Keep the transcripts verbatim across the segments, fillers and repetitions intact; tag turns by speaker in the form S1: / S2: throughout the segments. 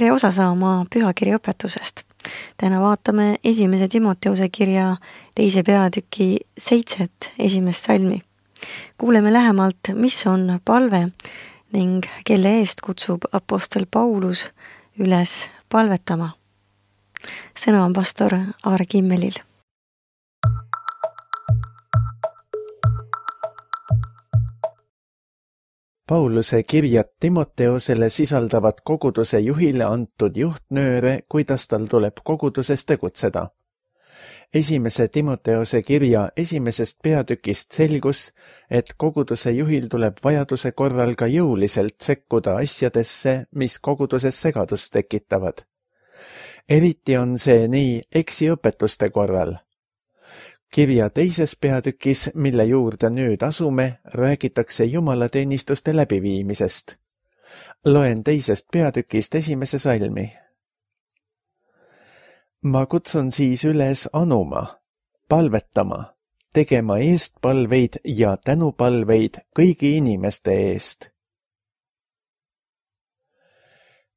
S1: tere osa saama pühakirja õpetusest. Täna vaatame esimese Timoteuse kirja teise peatüki seitset esimest salmi. Kuuleme lähemalt, mis on palve ning kelle eest kutsub apostel Paulus üles palvetama. Sõna on pastor Aare Kimmelil.
S2: Pauluse kirjad Timoteosele sisaldavad koguduse juhile antud juhtnööre, kuidas tal tuleb koguduses tegutseda. Esimese Timoteose kirja esimesest peatükist selgus, et koguduse juhil tuleb vajaduse korral ka jõuliselt sekkuda asjadesse, mis koguduses segadust tekitavad. Eriti on see nii eksiõpetuste korral. Kirja teises peatükis, mille juurde nüüd asume, räägitakse jumalateenistuste läbiviimisest. Loen teisest peatükist esimese salmi. Ma kutsun siis üles anuma, palvetama, tegema eestpalveid ja tänupalveid kõigi inimeste eest.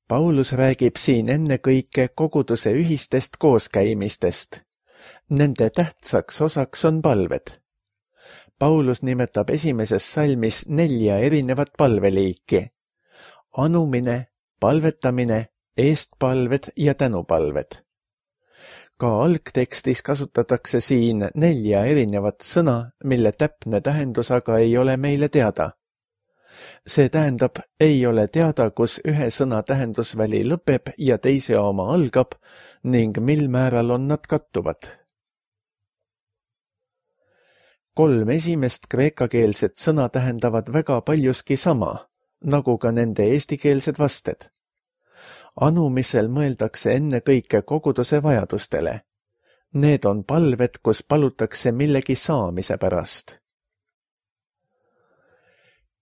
S2: Paulus räägib siin ennekõike koguduse ühistest kooskäimistest. Nende tähtsaks osaks on palved. Paulus nimetab esimeses salmis nelja erinevat palveliiki. Anumine, palvetamine, eestpalved ja tänupalved. Ka algtekstis kasutatakse siin nelja erinevat sõna, mille täpne tähendus aga ei ole meile teada. See tähendab, ei ole teada, kus ühe sõna tähendusväli lõpeb ja teise oma algab ning mil määral on nad kattuvad. Kolm esimest kreekakeelset sõna tähendavad väga paljuski sama, nagu ka nende eestikeelsed vasted. Anumisel mõeldakse ennekõike koguduse vajadustele. Need on palved, kus palutakse millegi saamise pärast.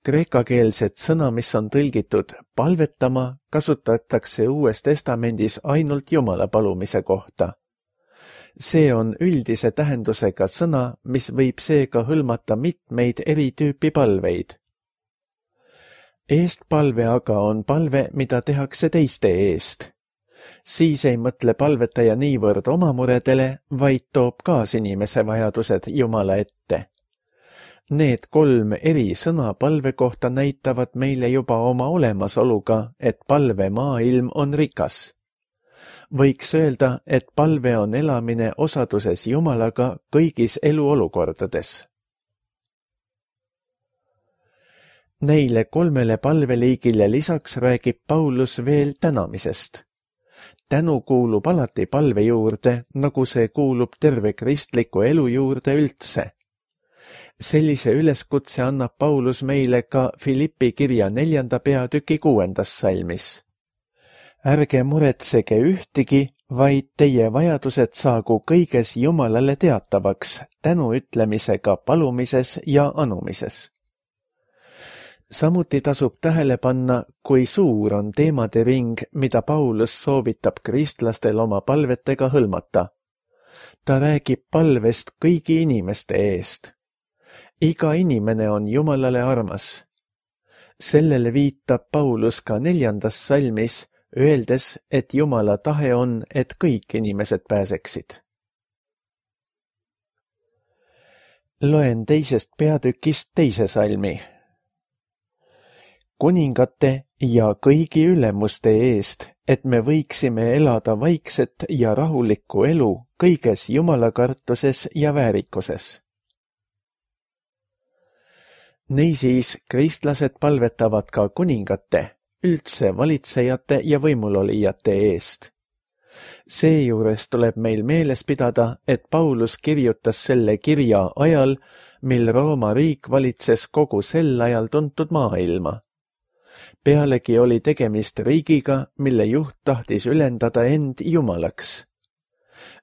S2: Kreekakeelset sõna, mis on tõlgitud palvetama, kasutatakse Uues Testamendis ainult Jumala palumise kohta. See on üldise tähendusega sõna, mis võib seega hõlmata mitmeid eri tüüpi palveid. Eestpalve aga on palve, mida tehakse teiste eest. Siis ei mõtle palvetaja niivõrd oma muredele, vaid toob kaasinimese vajadused Jumala ette. Need kolm eri sõna palve kohta näitavad meile juba oma olemasoluga, et palve maailm on rikas. Võiks öelda, et palve on elamine osaduses Jumalaga kõigis eluolukordades. Neile kolmele palveliigile lisaks räägib Paulus veel tänamisest. Tänu kuulub alati palve juurde, nagu see kuulub terve kristliku elu juurde üldse. Sellise üleskutse annab Paulus meile ka Filippi kirja neljanda peatüki kuuendas salmis. Ärge muretsege ühtigi, vaid teie vajadused saagu kõiges Jumalale teatavaks, tänu ütlemisega palumises ja anumises. Samuti tasub tähele panna, kui suur on teemade ring, mida Paulus soovitab kristlastel oma palvetega hõlmata. Ta räägib palvest kõigi inimeste eest. Iga inimene on Jumalale armas. Sellele viitab Paulus ka neljandas salmis, öeldes, et Jumala tahe on, et kõik inimesed pääseksid. Loen teisest peatükist teise salmi. Kuningate ja kõigi ülemuste eest, et me võiksime elada vaikset ja rahulikku elu kõiges jumalakartuses ja väärikuses. Niisiis, kristlased palvetavad ka kuningate, üldse valitsejate ja võimulolijate eest. Seejuures tuleb meil meeles pidada, et Paulus kirjutas selle kirja ajal, mil Rooma riik valitses kogu sel ajal tuntud maailma. Pealegi oli tegemist riigiga, mille juht tahtis ülendada end Jumalaks.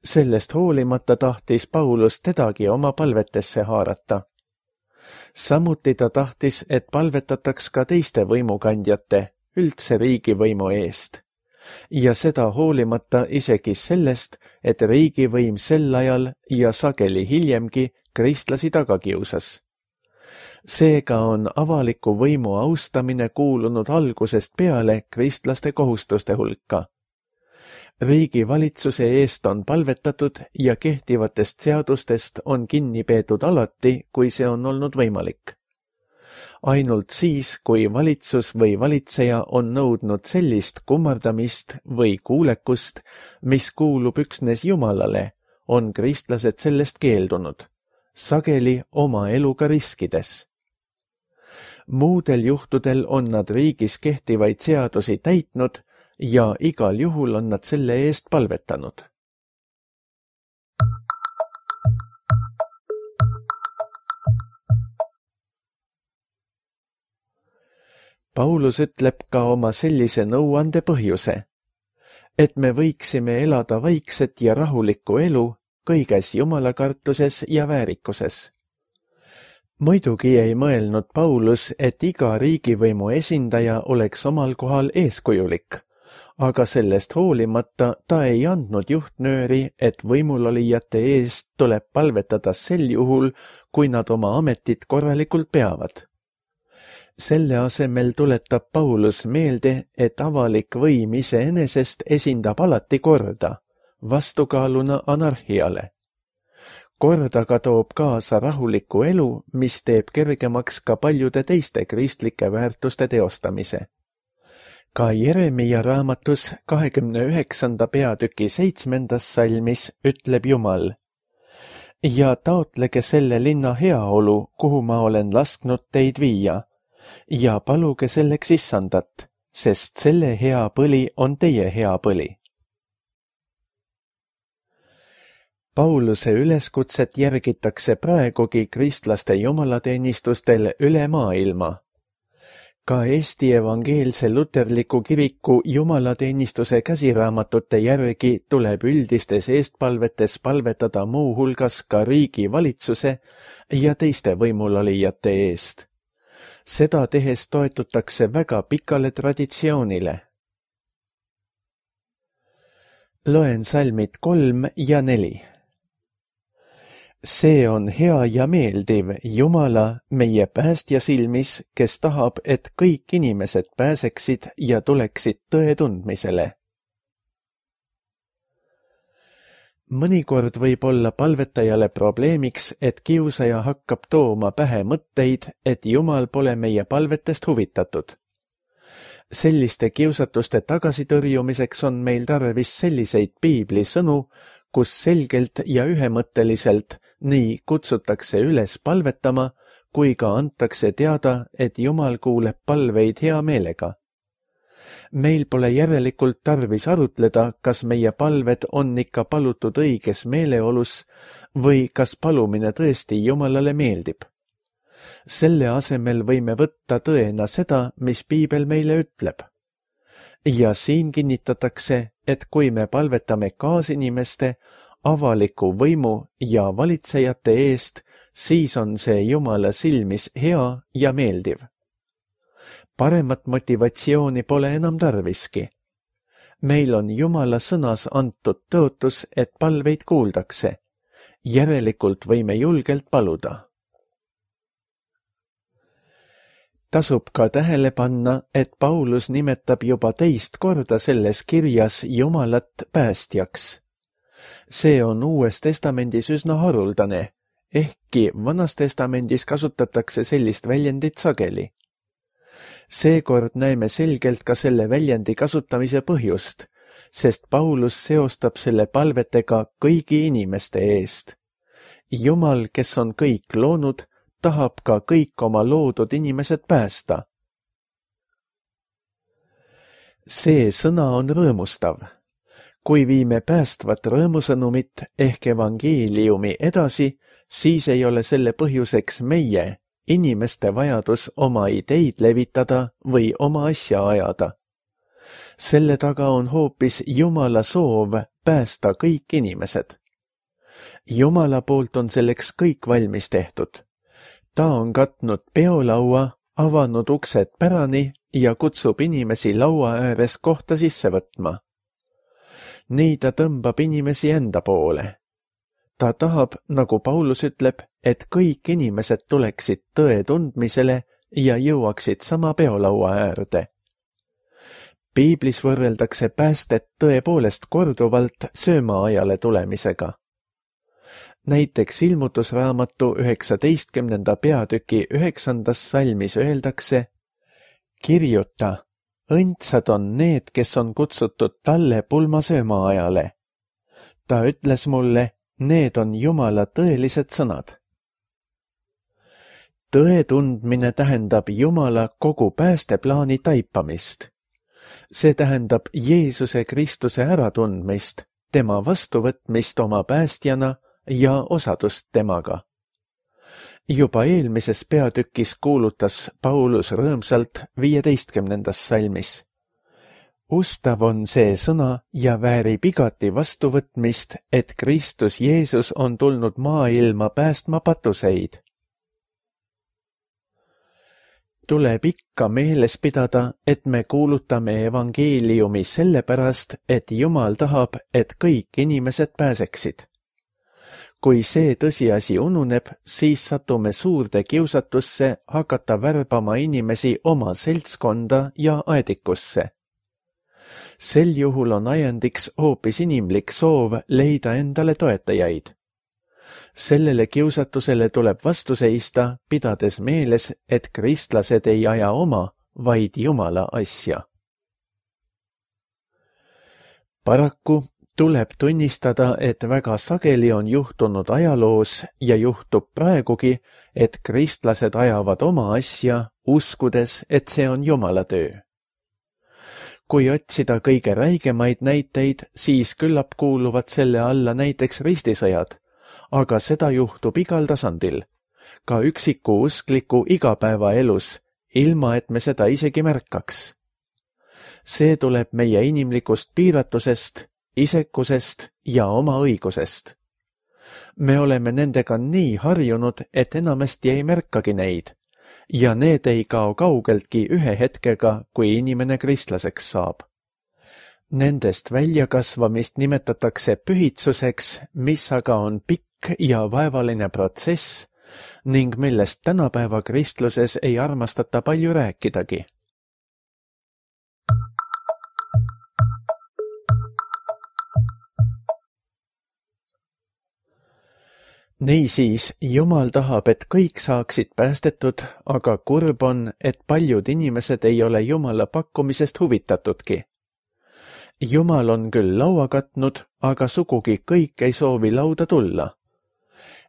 S2: Sellest hoolimata tahtis Paulus tedagi oma palvetesse haarata. Samuti ta tahtis, et palvetataks ka teiste võimukandjate, üldse riigivõimu eest. Ja seda hoolimata isegi sellest, et riigivõim sel ajal ja sageli hiljemgi kristlasi taga kiusas. Seega on avaliku võimu austamine kuulunud algusest peale kristlaste kohustuste hulka. Riigi valitsuse eest on palvetatud ja kehtivatest seadustest on kinni peetud alati, kui see on olnud võimalik. Ainult siis, kui valitsus või valitseja on nõudnud sellist kummardamist või kuulekust, mis kuulub üksnes Jumalale, on kristlased sellest keeldunud, sageli oma eluga riskides. Muudel juhtudel on nad riigis kehtivaid seadusi täitnud ja igal juhul on nad selle eest palvetanud. Paulus ütleb ka oma sellise nõuande põhjuse, et me võiksime elada vaikset ja rahulikku elu kõiges jumalakartuses ja väärikuses. Muidugi ei mõelnud Paulus, et iga riigivõimu esindaja oleks omal kohal eeskujulik, aga sellest hoolimata ta ei andnud juhtnööri, et võimulolijate eest tuleb palvetada sel juhul, kui nad oma ametit korralikult peavad. Selle asemel tuletab Paulus meelde, et avalik võim iseenesest esindab alati korda, vastukaaluna anarhiale. Kord aga toob kaasa rahuliku elu, mis teeb kergemaks ka paljude teiste kristlike väärtuste teostamise. Ka Jeremia raamatus kahekümne üheksanda peatüki seitsmendas salmis ütleb Jumal: ja taotlege selle linna heaolu, kuhu ma olen lasknud teid viia, ja paluge selleks issandat, sest selle hea põli on teie hea põli. Pauluse üleskutset järgitakse praegugi kristlaste jumalateenistustel üle maailma. Ka Eesti evangeelse luterliku kiriku jumalateenistuse käsiraamatute järgi tuleb üldistes eestpalvetes palvetada muu hulgas ka riigi valitsuse ja teiste võimulolijate eest. Seda tehes toetutakse väga pikale traditsioonile. Loen salmid kolm ja neli. See on hea ja meeldiv Jumala, meie päästja silmis, kes tahab, et kõik inimesed pääseksid ja tuleksid tõe tundmisele. Mõnikord võib olla palvetajale probleemiks, et kiusaja hakkab tooma pähe mõtteid, et Jumal pole meie palvetest huvitatud. Selliste kiusatuste tagasitõrjumiseks on meil tarvis selliseid piibli sõnu, kus selgelt ja ühemõtteliselt nii kutsutakse üles palvetama, kui ka antakse teada, et Jumal kuuleb palveid hea meelega. Meil pole järelikult tarvis arutleda, kas meie palved on ikka palutud õiges meeleolus või kas palumine tõesti Jumalale meeldib. Selle asemel võime võtta tõena seda, mis piibel meile ütleb. Ja siin kinnitatakse, et kui me palvetame kaasinimeste, avaliku võimu ja valitsejate eest, siis on see Jumala silmis hea ja meeldiv. Paremat motivatsiooni pole enam tarviski. Meil on Jumala sõnas antud tõotus, et palveid kuuldakse. Järelikult võime julgelt paluda. Tasub ka tähele panna, et Paulus nimetab juba teist korda selles kirjas Jumalat päästjaks. See on Uues testamendis üsna haruldane, ehkki Vanas testamendis kasutatakse sellist väljendit sageli. Seekord näeme selgelt ka selle väljendi kasutamise põhjust, sest Paulus seostab selle palvetega kõigi inimeste eest. Jumal, kes on kõik loonud, tahab ka kõik oma loodud inimesed päästa. See sõna on rõõmustav. Kui viime päästvat rõõmusõnumit ehk evangeeliumi edasi, siis ei ole selle põhjuseks meie, inimeste vajadus oma ideid levitada või oma asja ajada. Selle taga on hoopis Jumala soov päästa kõik inimesed. Jumala poolt on selleks kõik valmis tehtud. Ta on katnud peolaua, avanud uksed pärani ja kutsub inimesi laua ääres kohta sisse võtma. Nii ta tõmbab inimesi enda poole. Ta tahab, nagu Paulus ütleb, et kõik inimesed tuleksid tõe tundmisele ja jõuaksid sama peolaua äärde. Piiblis võrreldakse päästet tõepoolest korduvalt söömaajale tulemisega. Näiteks ilmutusraamatu üheksateistkümnenda peatüki üheksandas salmis öeldakse: kirjuta, õndsad on need, kes on kutsutud talle pulmasöömaajale. Ta ütles mulle, need on Jumala tõelised sõnad. Tõe tundmine tähendab Jumala kogu päästeplaani taipamist. See tähendab Jeesuse Kristuse äratundmist, tema vastuvõtmist oma päästjana ja osadust temaga. Juba eelmises peatükis kuulutas Paulus rõõmsalt viieteistkümnendas salmis: ustav on see sõna ja väärib igati vastuvõtmist, et Kristus Jeesus on tulnud maailma päästma patuseid. Tuleb ikka meeles pidada, et me kuulutame evangeeliumi sellepärast, et Jumal tahab, et kõik inimesed pääseksid. Kui see tõsiasi ununeb, siis satume suurde kiusatusse hakata värbama inimesi oma seltskonda ja aedikusse. Sel juhul on ajendiks hoopis inimlik soov leida endale toetajaid. Sellele kiusatusele tuleb vastu seista, pidades meeles, et kristlased ei aja oma, vaid Jumala asja. Paraku tuleb tunnistada, et väga sageli on juhtunud ajaloos ja juhtub praegugi, et kristlased ajavad oma asja, uskudes, et see on Jumala töö. Kui otsida kõige räigemaid näiteid, siis küllap kuuluvad selle alla näiteks ristisõjad, aga seda juhtub igal tasandil, ka üksiku uskliku igapäevaelus, ilma et me seda isegi märkaks. See tuleb meie inimlikust piiratusest, isekusest ja oma õigusest. Me oleme nendega nii harjunud, et enamasti ei märkagi neid, ja need ei kao kaugeltki ühe hetkega, kui inimene kristlaseks saab. Nendest väljakasvamist nimetatakse pühitsuseks, mis aga on pikk ja vaevaline protsess ning millest tänapäeva kristluses ei armastata palju rääkidagi. Niisiis, Jumal tahab, et kõik saaksid päästetud, aga kurb on, et paljud inimesed ei ole Jumala pakkumisest huvitatudki. Jumal on küll laua katnud, aga sugugi kõik ei soovi lauda tulla.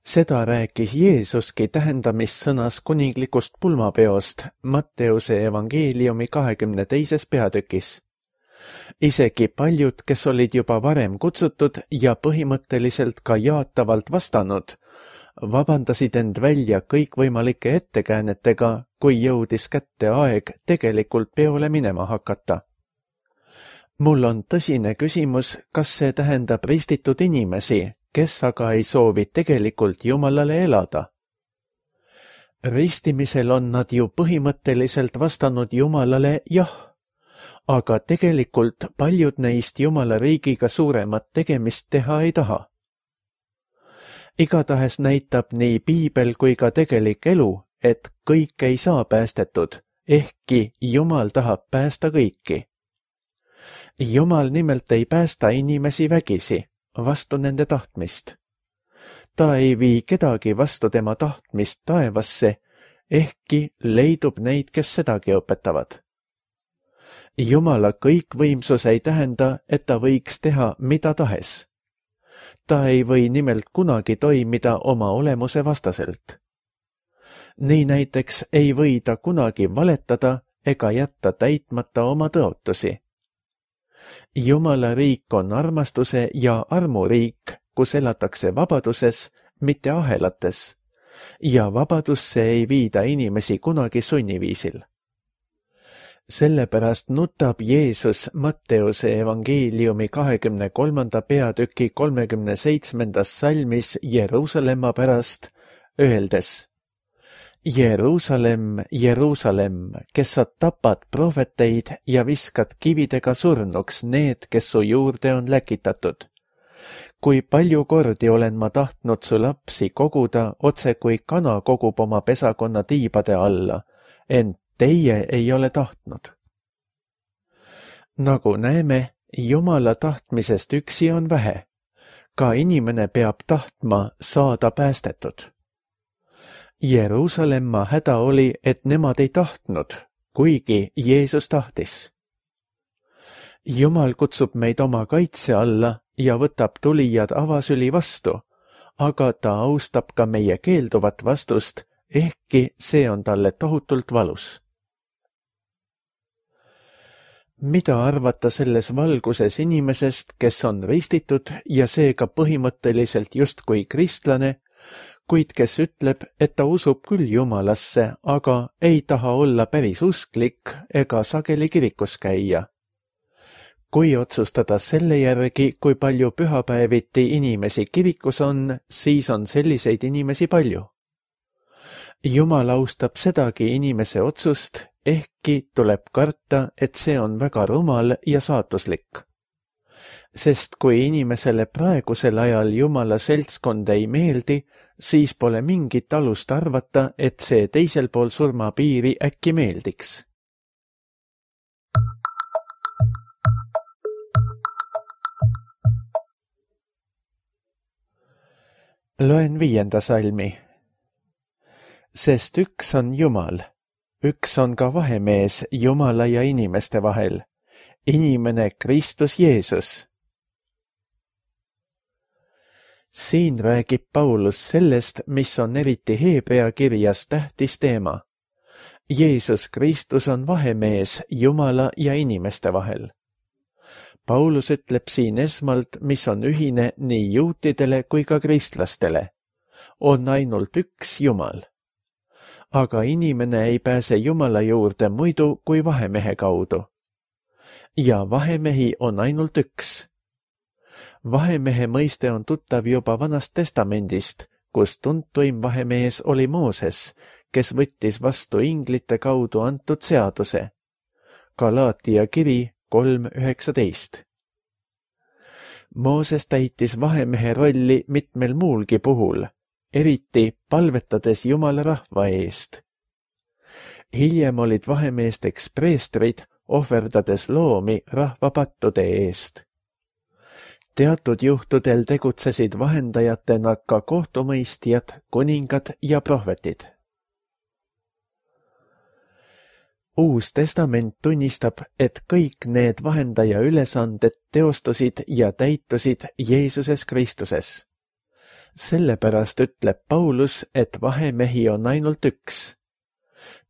S2: Seda rääkis Jeesuski tähendamissõnas kuninglikust pulmapeost Matteuse evangeeliumi kahekümne teises peatükis. Isegi paljud, kes olid juba varem kutsutud ja põhimõtteliselt ka jaatavalt vastanud, vabandasid end välja kõikvõimalike ettekäänetega, kui jõudis kätte aeg tegelikult peole minema hakata. Mul on tõsine küsimus, kas see tähendab ristitud inimesi, kes aga ei soovi tegelikult Jumalale elada. Ristimisel on nad ju põhimõtteliselt vastanud Jumalale jah, aga tegelikult paljud neist Jumala riigiga suuremat tegemist teha ei taha. Igatahes näitab nii Piibel kui ka tegelik elu, et kõik ei saa päästetud, ehkki Jumal tahab päästa kõiki. Jumal nimelt ei päästa inimesi vägisi, vastu nende tahtmist. Ta ei vii kedagi vastu tema tahtmist taevasse, ehkki leidub neid, kes sedagi õpetavad. Jumala kõikvõimsus ei tähenda, et ta võiks teha mida tahes. Ta ei või nimelt kunagi toimida oma olemuse vastaselt. Nii näiteks ei või ta kunagi valetada ega jätta täitmata oma tõotusi. Jumala riik on armastuse ja armu riik, kus elatakse vabaduses, mitte ahelates, ja vabadusse ei viida inimesi kunagi sunniviisil. Sellepärast nutab Jeesus Matteuse evangeeliumi kahekümne kolmanda peatüki kolmekümne seitsmendas salmis Jeruusalemma pärast, öeldes: Jeruusalemm, Jeruusalemm, kes sa tapad prohveteid ja viskad kividega surnuks need, kes su juurde on läkitatud. kui palju kordi olen ma tahtnud su lapsi koguda, otse kui kana kogub oma pesakonna tiibade alla, ent teie ei ole tahtnud. Nagu näeme, Jumala tahtmisest üksi on vähe. Ka inimene peab tahtma saada päästetud. Jeruusalemma häda oli, et nemad ei tahtnud, kuigi Jeesus tahtis. Jumal kutsub meid oma kaitse alla ja võtab tulijad avasüli vastu, aga ta austab ka meie keelduvat vastust, ehkki see on talle tohutult valus. Mida arvata selles valguses inimesest, kes on ristitud ja seega põhimõtteliselt justkui kristlane, kuid kes ütleb, et ta usub küll Jumalasse, aga ei taha olla päris usklik ega sageli kirikus käia? Kui otsustada selle järgi, kui palju pühapäeviti inimesi kirikus on, siis on selliseid inimesi palju. Jumal austab sedagi inimese otsust, ehkki tuleb karta, et see on väga rumal ja saatuslik. Sest kui inimesele praegusel ajal Jumala seltskond ei meeldi, siis pole mingit alust arvata, et see teisel pool surmapiiri äkki meeldiks. Loen viienda salmi. Sest üks on Jumal, üks on ka vahemees Jumala ja inimeste vahel, inimene Kristus Jeesus. Siin räägib Paulus sellest, mis on eriti Heebrea kirjas tähtis teema. Jeesus Kristus on vahemees Jumala ja inimeste vahel. Paulus ütleb siin esmalt, mis on ühine nii juutidele kui ka kristlastele. On ainult üks Jumal. Aga inimene ei pääse Jumala juurde muidu kui vahemehe kaudu. Ja vahemehi on ainult üks. Vahemehe mõiste on tuttav juba Vanast Testamendist, kus tuntuim vahemees oli Mooses, kes võttis vastu inglite kaudu antud seaduse. Galaatia kiri kolm üheksateist. Mooses täitis vahemehe rolli mitmel muulgi puhul, eriti palvetades Jumala rahva eest. Hiljem olid vahemeesteks preestrid, ohverdades loomi rahva pattude eest. Teatud juhtudel tegutsesid vahendajatena ka kohtumõistjad, kuningad ja prohvetid. Uus testament tunnistab, et kõik need vahendaja ülesanded teostusid ja täitusid Jeesuses Kristuses. Sellepärast ütleb Paulus, et vahemehi on ainult üks.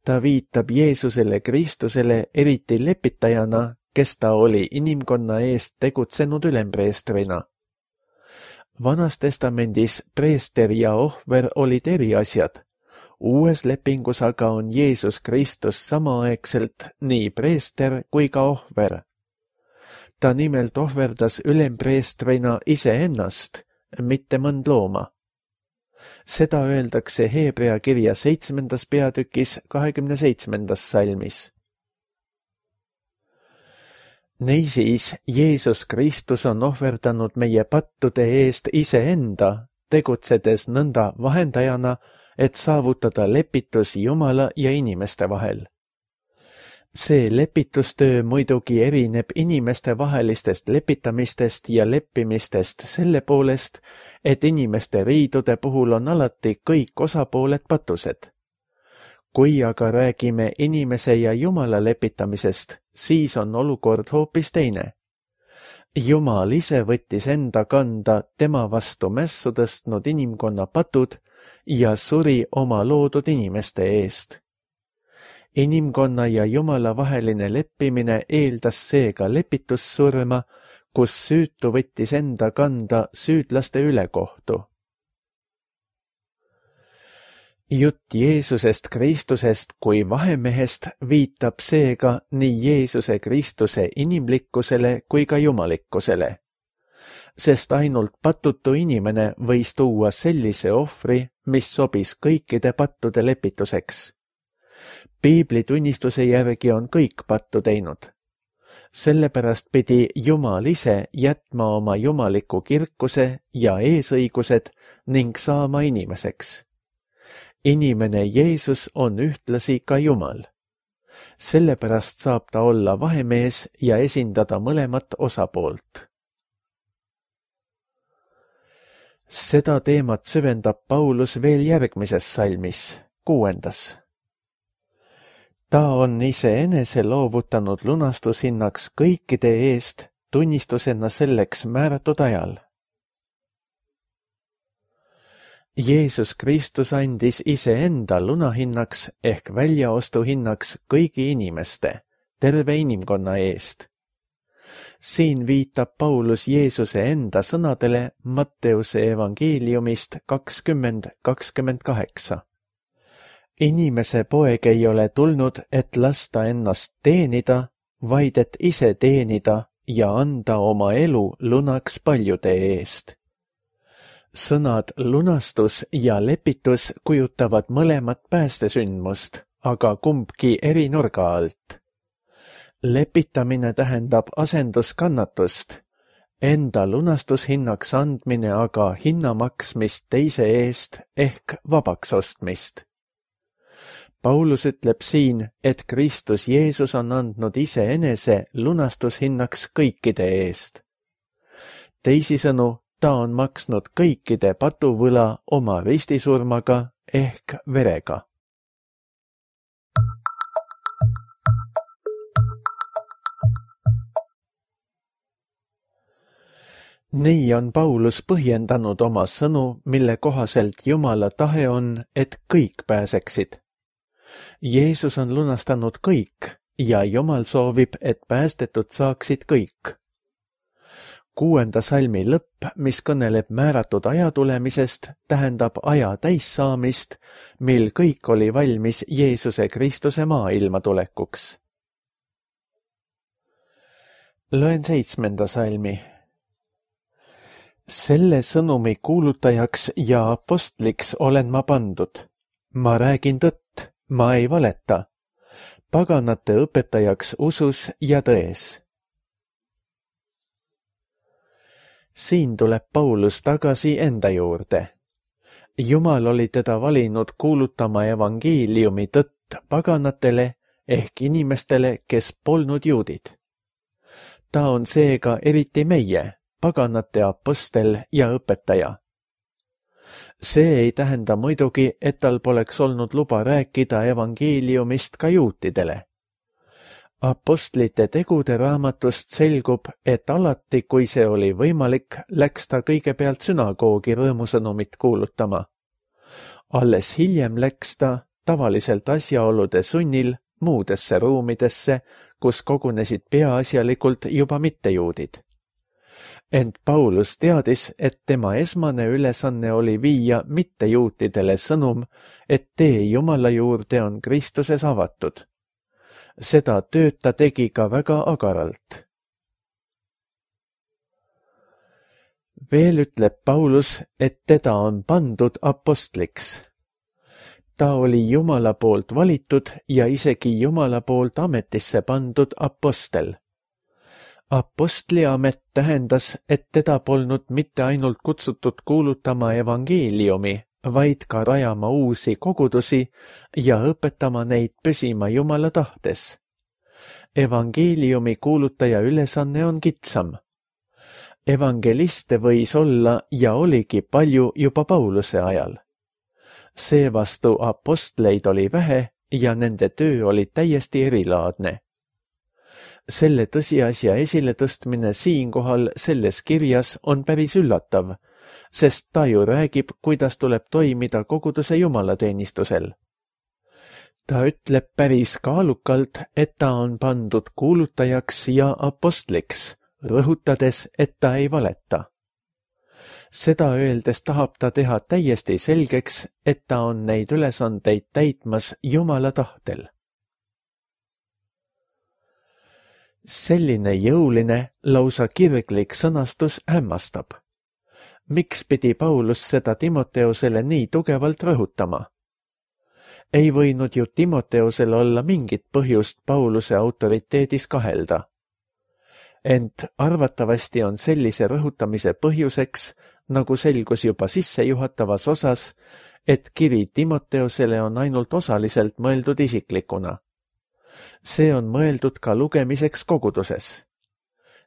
S2: Ta viitab Jeesusele Kristusele eriti lepitajana, kes ta oli inimkonna eest tegutsenud ülempreestrina. Vanas testamendis preester ja ohver olid eri asjad. Uues lepingus aga on Jeesus Kristus samaaegselt nii preester kui ka ohver. Ta nimelt ohverdas ülempreestrina iseennast, mitte mõnd looma. Seda öeldakse Heebrea kirja seitsmendas peatükis kahekümne seitsmendas salmis. Neisiis, Jeesus Kristus on ohverdanud meie pattude eest iseenda, tegutsedes nõnda vahendajana, et saavutada lepitus Jumala ja inimeste vahel. See lepitustöö muidugi erineb inimeste vahelistest lepitamistest ja leppimistest selle poolest, et inimeste riidude puhul on alati kõik osapooled patused. Kui aga räägime inimese ja Jumala lepitamisest, siis on olukord hoopis teine. Jumal ise võttis enda kanda tema vastu mässu tõstnud inimkonna patud ja suri oma loodud inimeste eest. Inimkonna ja Jumala vaheline leppimine eeldas seega lepitussurma, kus süütu võttis enda kanda süüdlaste ülekohtu. Jutt Jeesusest Kristusest kui vahemehest viitab seega nii Jeesuse Kristuse inimlikkusele kui ka jumalikkusele, sest ainult patutu inimene võis tuua sellise ohvri, mis sobis kõikide pattude lepituseks. Piibli tunnistuse järgi on kõik pattu teinud. Sellepärast pidi Jumal ise jätma oma jumaliku kirkuse ja eesõigused ning saama inimeseks. Inimene Jeesus on ühtlasi ka Jumal. Sellepärast saab ta olla vahemees ja esindada mõlemat osapoolt. Seda teemat süvendab Paulus veel järgmises salmis, kuuendas. Ta on iseenese loovutanud lunastushinnaks kõikide eest, tunnistusena selleks määratud ajal. Jeesus Kristus andis iseenda lunahinnaks ehk väljaostuhinnaks kõigi inimeste, terve inimkonna eest. Siin viitab Paulus Jeesuse enda sõnadele Matteuse evangeeliumist kakskümmend kakskümmend kaheksa. Inimese poeg ei ole tulnud, et lasta ennast teenida, vaid et ise teenida ja anda oma elu lunaks paljude eest. Sõnad lunastus ja lepitus kujutavad mõlemat päästesündmust, aga kumbki eri nurga alt. Lepitamine tähendab asenduskannatust, enda lunastushinnaks andmine aga hinna maksmist teise eest ehk vabaks ostmist. Paulus ütleb siin, et Kristus Jeesus on andnud iseenese lunastushinnaks kõikide eest. Teisisõnu, ta on maksnud kõikide patuvõla oma ristisurmaga ehk verega. Nii on Paulus põhjendanud oma sõnu, mille kohaselt Jumala tahe on, et kõik pääseksid. Jeesus on lunastanud kõik ja Jumal soovib, et päästetud saaksid kõik. Kuuenda salmi lõpp, mis kõneleb määratud aja tulemisest, tähendab aja täissaamist, mil kõik oli valmis Jeesuse Kristuse maailma tulekuks. Loen seitsmenda salmi. Selle sõnumi kuulutajaks ja apostliks olen ma pandud. Ma räägin tõtt, ma ei valeta. Paganate õpetajaks usus ja tões. Siin tuleb Paulus tagasi enda juurde. Jumal oli teda valinud kuulutama evangeeliumi tõtt paganatele ehk inimestele, kes polnud juudid. Ta on seega eriti meie, paganate apostel ja õpetaja. See ei tähenda muidugi, et tal poleks olnud luba rääkida evangeeliumist ka juutidele. Apostlite tegude raamatust selgub, et alati, kui see oli võimalik, läks ta kõigepealt sünagoogi rõõmusõnumit kuulutama. Alles hiljem läks ta, tavaliselt asjaolude sunnil, muudesse ruumidesse, kus kogunesid peaasjalikult juba mittejuudid. Ent Paulus teadis, et tema esmane ülesanne oli viia mittejuutidele sõnum, et tee Jumala juurde on Kristuses avatud. Seda tööd ta tegi ka väga agaralt. Veel ütleb Paulus, et teda on pandud apostliks. Ta oli Jumala poolt valitud ja isegi Jumala poolt ametisse pandud apostel. Apostliamet tähendas, et teda polnud mitte ainult kutsutud kuulutama evangeeliumi, vaid ka rajama uusi kogudusi ja õpetama neid püsima Jumala tahtes. Evangeeliumi kuulutaja ülesanne on kitsam. Evangeliste võis olla ja oligi palju juba Pauluse ajal. Seevastu apostleid oli vähe ja nende töö oli täiesti erilaadne. Selle tõsiasja esiletõstmine siinkohal selles kirjas on päris üllatav, sest ta ju räägib, kuidas tuleb toimida koguduse jumalateenistusel. Ta ütleb päris kaalukalt, et ta on pandud kuulutajaks ja apostliks, rõhutades, et ta ei valeta. Seda öeldes tahab ta teha täiesti selgeks, et ta on neid ülesandeid täitmas Jumala tahtel. Selline jõuline, lausa kirglik sõnastus hämmastab. Miks pidi Paulus seda Timoteusele nii tugevalt rõhutama? Ei võinud ju Timoteusel olla mingit põhjust Pauluse autoriteedis kahelda. ent arvatavasti on sellise rõhutamise põhjuseks, nagu selgus juba sissejuhatavas osas, et kiri Timoteusele on ainult osaliselt mõeldud isiklikuna. See on mõeldud ka lugemiseks koguduses.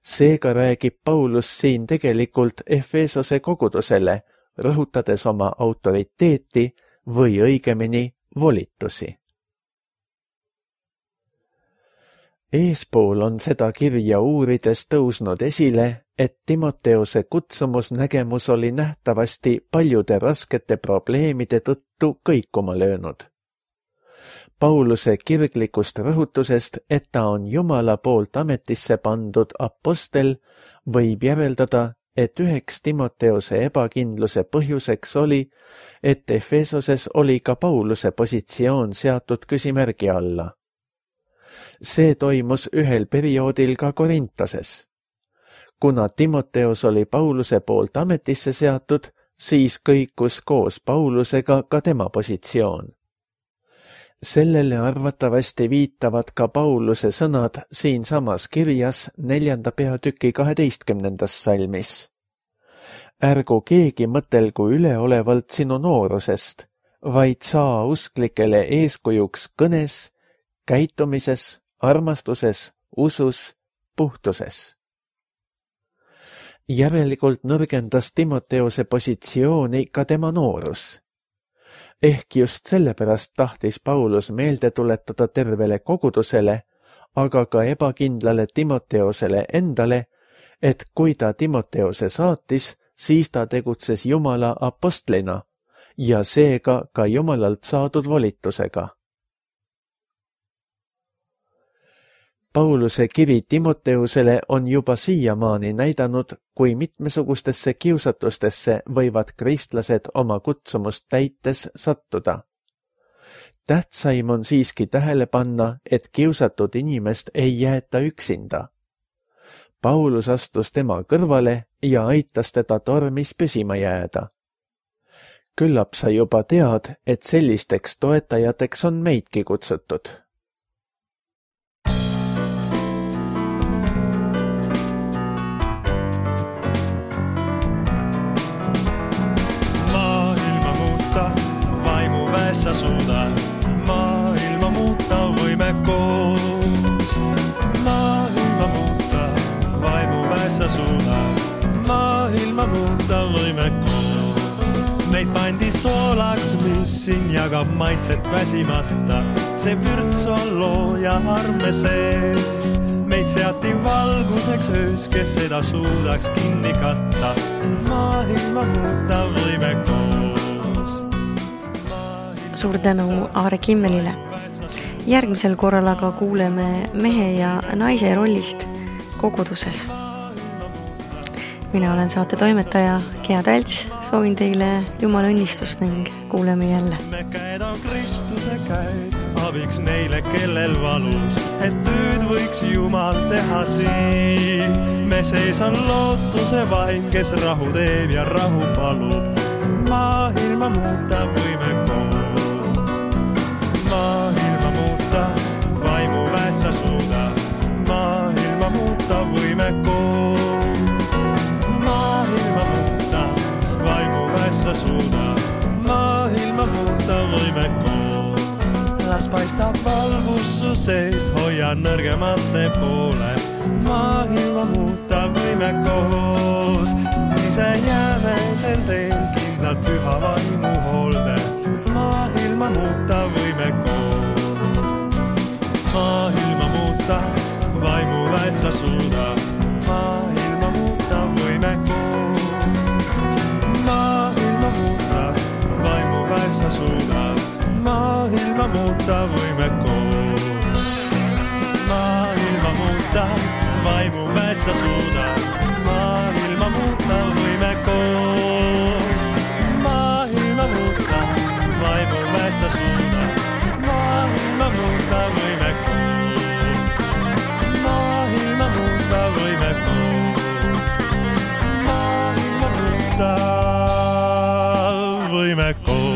S2: Seega räägib Paulus siin tegelikult Efesose kogudusele, rõhutades oma autoriteeti või õigemini volitusi. Eespool on seda kirja uurides tõusnud esile, et Timoteuse kutsumusnägemus oli nähtavasti paljude raskete probleemide tõttu kõikuma löönud. Pauluse kirglikust rõhutusest, et ta on Jumala poolt ametisse pandud apostel, võib järeldada, et üheks Timoteuse ebakindluse põhjuseks oli, et Efesoses oli ka Pauluse positsioon seatud küsimärgi alla. See toimus ühel perioodil ka Korintoses. Kuna Timoteus oli Pauluse poolt ametisse seatud, siis kõikus koos Paulusega ka tema positsioon. Sellele arvatavasti viitavad ka Pauluse sõnad siinsamas kirjas neljanda peatüki kaheteistkümnendas salmis. Ärgu keegi mõtelgu üleolevalt sinu noorusest, vaid saa usklikele eeskujuks kõnes, käitumises, armastuses, usus, puhtuses. Järelikult nõrgendas Timoteuse positsiooni ka tema noorus. Ehk just sellepärast tahtis Paulus meelde tuletada tervele kogudusele, aga ka ebakindlale Timoteusele endale, et kui ta Timoteuse saatis, siis ta tegutses Jumala apostlina ja seega ka Jumalalt saadud volitusega. Pauluse kiri Timoteusele on juba siiamaani näidanud, kui mitmesugustesse kiusatustesse võivad kristlased oma kutsumust täites sattuda. Tähtsaim on siiski tähele panna, et kiusatud inimest ei jäeta üksinda. Paulus astus tema kõrvale ja aitas teda tormis püsima jääda. Küllap sa juba tead, et sellisteks toetajateks on meidki kutsutud.
S3: Sa suuda maailma muuta, võime koos. Maailma muuta, vaimuväes sa suuda maailma muuta, võime koos. Meid pandi soolaks, mis siin jagab maitset väsimata. See vürts on looja arme sees. Meid seati valguseks öös, kes seda suudaks kinni katta. Maailma muuta, võime koos.
S1: Suur tänu Aare Kimmelile. Järgmisel korral aga kuuleme mehe ja naise rollist koguduses. Mina olen saate toimetaja Gea Talts, soovin teile Jumala õnnistust ning kuuleme jälle.
S3: Me käed on Kristuse käed, abiks neile, kellel valus, et tööd võiks Jumal teha siin. Me sees on lootuse vaim, kes rahu teeb ja rahu palub. Maailma muuta võime koos. Maailma muuta, vaimuväes sa suuda. Maailma muuta võime koos. Maailma muuta, vaimuväes sa suuda. Maailma muuta võime koos. Las paistab valgus su seest, hoia nõrgemate poole. Maailma muuta võime koos. Ise jääme sel teel kindlalt püha vaimu hoolde. Maailma muuta võime koos. Maailma muuta, vaimuväes sa suuda. Maailma muuta võime koos. Maailma muuta, vaimuväes sa suuda. Maailma muuta võime koos. Maailma muuta, vaimuväes sa suuda. Maailma muuta võime koos. Maailma muuta, vaimuväes sa suuda. Maailma muuta võime koos. Maailma muuta võime koos. Maailma muuta võime koos.